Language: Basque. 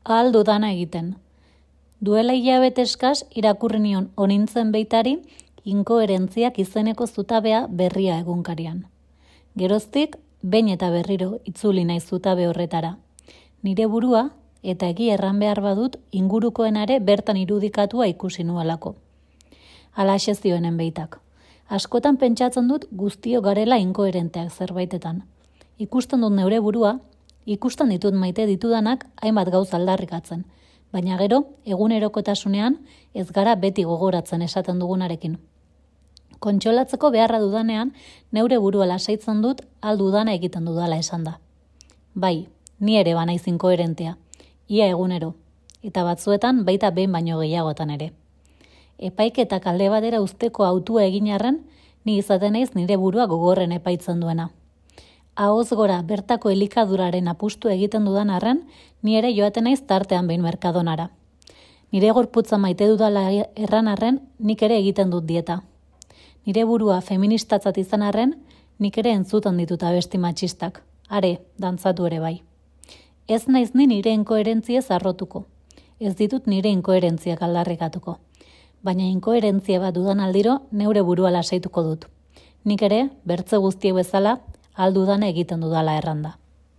ahal dudana egiten. Duela hilabete eskas irakurri nion onintzen beitari inkoherentziak izeneko zutabea berria egunkarian. Geroztik, behin eta berriro itzuli naiz zutabe horretara. Nire burua, eta egi erran behar badut, ingurukoenare bertan irudikatua ikusi nuelako. Halaxe zioenen beitak. Askotan pentsatzen dut guztio garela inkoherenteak zerbaitetan. Ikusten dut neure burua, ikusten ditut maite ditudanak hainbat gauz aldarrikatzen, baina gero, egunerokotasunean ez gara beti gogoratzen esaten dugunarekin. Kontsolatzeko beharra dudanean, neure burua lasaitzen dut aldudana egiten dudala esan da. Bai, ni ere banaiz inkoherentea, ia egunero, eta batzuetan baita behin baino gehiagotan ere. Epaiketak alde batera usteko hautua egin arren, ni izaten naiz nire burua gogorren epaitzen duena. Ahoz gora bertako elikaduraren apustu egiten dudan arren, ni ere joaten naiz tartean behin merkadonara. Nire gorputza maite dudala erran arren, nik ere egiten dut dieta. Nire burua feministatzat izan arren, nik ere entzuten ditut abesti matxistak. Are, dantzatu ere bai. Ez naiz ni nire inkoherentziez arrotuko. Ez ditut nire inkoherentziak aldarrikatuko. Baina inkoherentzia bat dudan aldiro, neure burua lasaituko dut. Nik ere, bertze guztiek bezala, aldudana egiten dudala erranda.